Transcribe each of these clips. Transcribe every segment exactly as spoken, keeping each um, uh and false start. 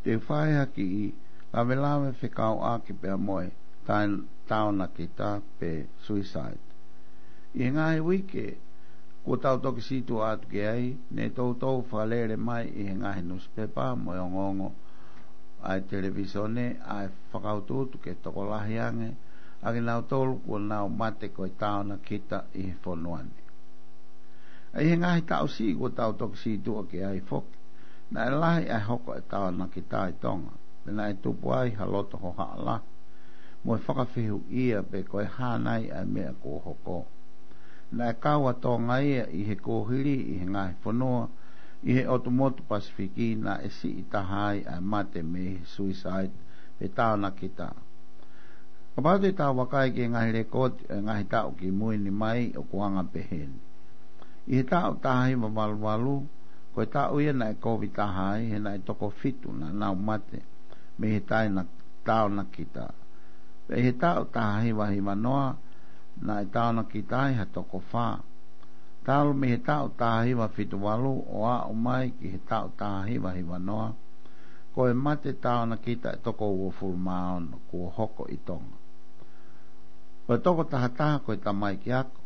Te u fai ha kiʻi lavelave fekauʻaki pea mo e taonakita pe suicide. ʻI he ngaahi uike kuo tau toki situʻa atu ki ai, ne toutou fakalele mai ʻi he ngaahi nusipepa mo e ongoongo ʻa e televīsone ʻa e fakautuutu ke tokolahi ange ʻa kinautolu kuo nau mate ko e taonakita ʻi he fonua ni. ʻI he ngaahi taʻu siʻi kuo tau toki situʻa ki ai foki, naʻe lahi ʻa e hoko e taonakita ʻi Tonga, pea naʻe tupu ai ha loto hohaʻa lahi mo e fakafehuʻia pe ko e hā nai ʻa e meʻa kuo hoko. Naʻe kau ʻa Tonga ia ʻi he kuohili ʻi he ngaahi fonua ʻi he ʻotu motu Pasifiki naʻe siʻi taha ai ʻa e mate mei he suicide pe taonakita. Kapau te tau vakai ki he ngaahi lekooti ʻo e ngaahi taʻu kimui ni mai, ʻoku anga pehē ni. ʻI he taʻu taha hiva valu valu, ko e taʻu ia naʻe kovi taha ai, he naʻe toko fitu naʻa nau mate mei he taina-, taonakita. Pea ʻi he taʻu taha hiva hiva noa, naʻe taonakita ai ha toko fā. Talu mei he taʻu taha hiva fitu valu ʻo aʻu mai ki he taʻu taha hiva hiva noa, ko e mate taonakita ʻe toko uofulu mā ono kuo hoko ʻi Tonga. Ko e toko taha taha ko e tamaiki ako,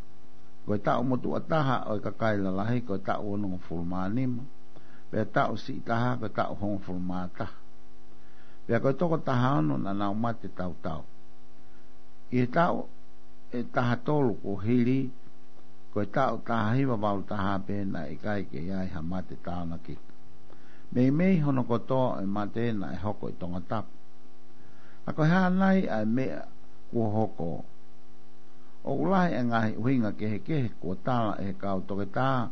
ko e taʻu motuʻa taha ʻo e kakai lalahi ko e taʻu onongofulu mā nima, pea taʻu siʻi taha ko e taʻu hongofulu mā taha. Pea ko e toko taha ono naʻa nau mate tautau. ʻI he taʻu ʻe taha tolu kuohili, ko e taʻu taha hiva valu taha pē naʻe ʻikai ke ʻi ai ha mate taonakita. Meimei hono kotoa ʻo e mate naʻe hoko ʻi Tongatapu. ʻA ko e hā nai ʻa e meʻa kuo hoko? ʻOku lahi e ngaahi ʻuhinga kehekehe kuo tala ʻe he kau toketā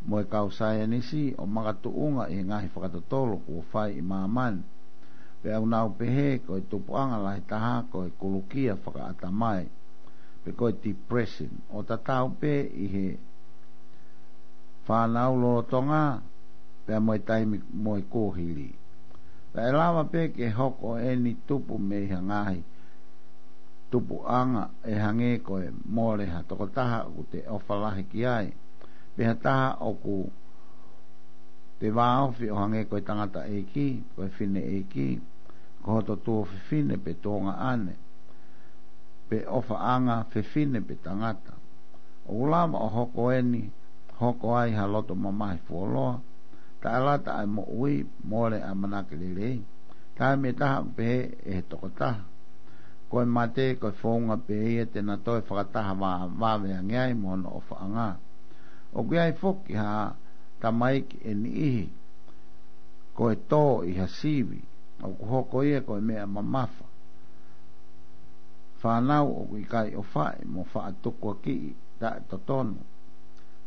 mo e kau saienisi ʻo makatuʻunga ʻi he ngaahi fakatotolo kuo fai ʻi māmani. Pea ʻoku nau pehē ko e tupuʻanga lahi taha ko e kulukia fakaʻatamai, pe ko e depression, ʻo tatau pē ʻi he fānau lolotonga pea mo e taimi mo e kuohili. Pea ʻe lava pē ke hoko eni tupu mei ha ngaahi tupuʻanga ʻe hangē ko e mole ha tokotaha ʻoku te ʻofa lahi ki ai, pe ha taha ʻoku te vāofi ʻo hangē ko e tangataʻeiki, ko e fineʻeiki, ko hoto tuofefine pe tuongaʻane, pe ʻofaʻanga fefine pe tangata. ʻOku lava ʻo hoko eni, hoko ai ha loto mamahi fuoloa, taʻelata ʻa e moʻui, mole ʻamanaki lelei. Taimi ʻe taha ʻoku pehē ʻe he tokotaha, ko e mate ko e founga pē ia te na toe fakataha vā-, vave ange ai mo hono ʻofaʻanga. ʻOku ʻi ai foki ha tamaiki ʻe niʻihi ko e tō ʻi ha sivi, ʻoku hoko ia ko e meʻa mamafa. Fānau ʻoku ʻikai ʻofaʻi mo faʻa tukuakiʻi taʻetotonu.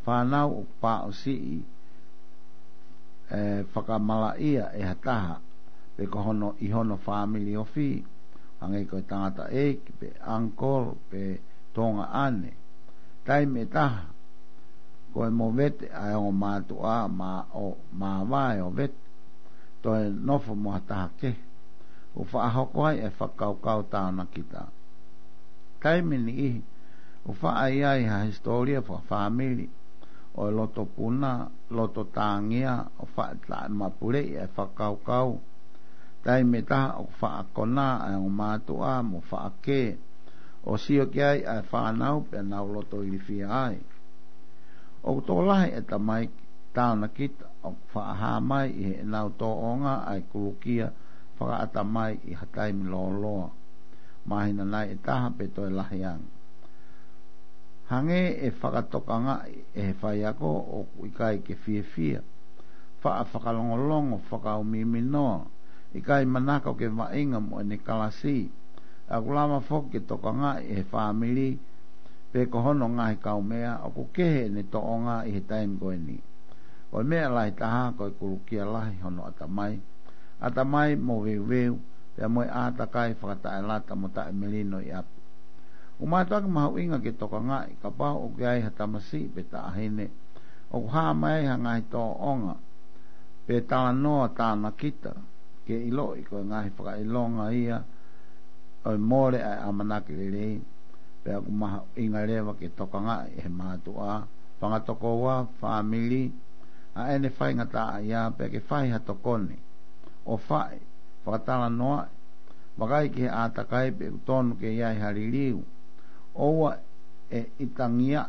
Fānau ʻoku pāʻusiʻi, ē, fakamalaʻia ʻe ha taha, pe ko hono, ʻi hono fāmili ofi, hangē ko e tangataʻeiki, pe uncle, pe tuongaʻane. Taimi ʻe taha, ko e movete ʻa e ongo mātuʻa, mā ʻo, māvae ʻo vete, toe nofo mo ha taha kehe, ʻo faʻa hoko ai e fakakaukau taonakita. Taimi ʻe niʻihi, ʻo faʻa ʻi ai ha hisitōlia fakafāmili ʻo e loto puna, loto tāngia, ʻo faʻa taʻemapuleʻi e fakakaukau. Taimi ʻe taha ʻoku faʻa konā ʻa e ongo mātuʻa mo faʻa kē, ʻo sio ki ai ʻa e fānau pea nau loto ilifia ai. ʻOku tokolahi e tamaiki taonakita ʻoku faʻa hā mai ʻi heʻenau tōʻonga ʻa e kulukia fakaʻatamai ʻi ha taimi lōloa, māhina nai ʻe taha pe toe lahi ange. Hangē ʻe fakatokangaʻi ʻe he faiako ʻoku ʻikai ke fiefia, faʻa fakalongolongo, fakaumiminoa, ʻikai manako ke vaʻinga mo ʻene kalasi. ʻOku lava foki ke tokangaʻi ʻe he fāmili pe ko hono ngaahi kaumeʻa ʻoku kehe ʻene tōʻonga ʻi he taimi ko eni. Ko e meʻa lahi taha ko e kulukia lahi hono ʻatamai, ʻatamai moveuveu, pea mo e ʻātakai fakataʻelata mo taʻemelino ʻi ʻapi. ʻOku mātuʻaki mahuʻinga ke tokangaʻi kapau ʻoku ʻi ai ha tamasiʻi pe taʻahine ʻoku hā mai ha ngaahi tōʻonga pe talanoa taonakita, ke ʻiloʻi ko e ngaahi fakaʻilonga ia ʻo e mole ʻa e ʻamanaki lelei, pea ʻoku mahuʻinga leva ke tokangaʻi ʻe he mātuʻa, fanga tokoua, fāmili, ʻa ʻene faingataʻaʻia pea ke fai ha tokoni. ʻofaʻi, fakatalanoaʻi, vakai ki he ʻātakai pe ʻoku tonu ke ʻi ai ha liliu. ʻOua ʻe ʻitangia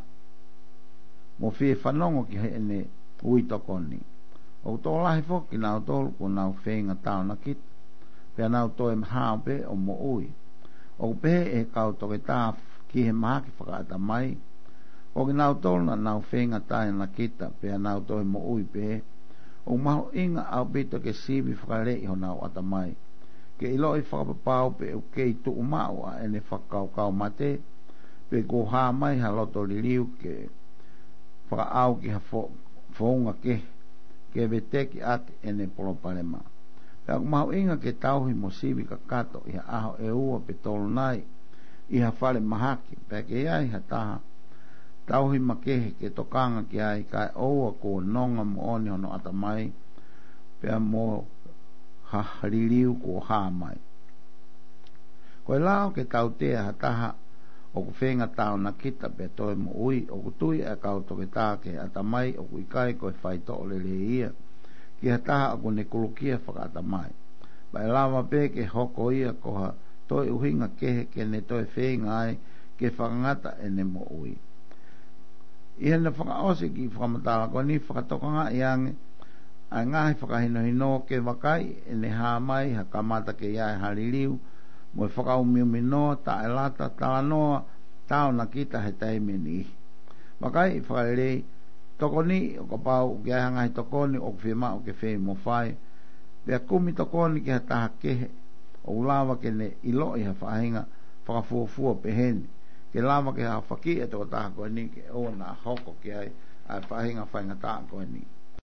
mo fie fanongo ki heʻene ui tokoni. ʻOku tokolahi foki kinautolu kuo nau feinga taonakita, pea nau toe hao pē ʻo moʻui. ʻOku pehē ʻe he kau toketā ki he mahaki fakaʻatamai, ko kinautolu naʻa nau feinga taonakita, pea nau toe moʻui pē. ʻOku mahuʻinga ʻaupito ke sivi fakaleʻi honau ʻatamai, ke ʻiloʻi fakapapau pe ʻoku kei tuʻu maʻu ʻa ʻene fakakaukau mate, pe kuo hā mai ha loto liliu ke fakaʻau ki ha fo-, founga kehe, ke veteki ʻaki ʻene palopalema. Pea ʻoku mahuʻinga ke tauhi mo sivi kakato ʻi ha ʻaho ʻe ua pe tolu nai ʻi ha fale mahaki, pea ke ʻi ai ha taha tauhi makehe ke tokanga ki ai kae ʻoua kuo nonga moʻoni hono ʻatamai, pea mo ha liliu kuo hā mai. Ko e lao ke tautea ha taha ʻoku feinga taonakita pea toe moʻui, ʻoku tui ʻa e kau toketā ki he ʻatamai ʻoku ʻikai ko e faitoʻo lelei ia ki ha taha ʻoku ne kulukia fakaʻatamai. Pea ʻe lava pē ke hoko ia ko ha toe ʻuhinga kehe ke ne toe feinga ai ke fakangata ʻene moʻui. ʻI heʻene fakaʻosi e kiʻi fakamatala ko eni, fakatokangaʻi ange ʻa e ngaahi fakahinohino ke vakai ʻene hā mai ha kamata ke ʻi ai ha liliu, mo e fakaumiumi noa, taʻelata, talanoa taonakita he taimi ʻe niʻihi. Vakai fakalelei, tokoni ʻo kapau ʻoku ʻi ai ha ngaahi tokoni ʻoku fiemaʻu ke fai mo fai, pea kumi tokoni ki ha taha kehe ʻoku lava ke ne ʻiloʻi ha faʻahinga fakafuofua pehē ni, ke lava ke hafakiʻi e tokotaha ko eni ke ʻoua naʻa hoko ki ai ʻa e faʻahinga faingataʻa ko eni.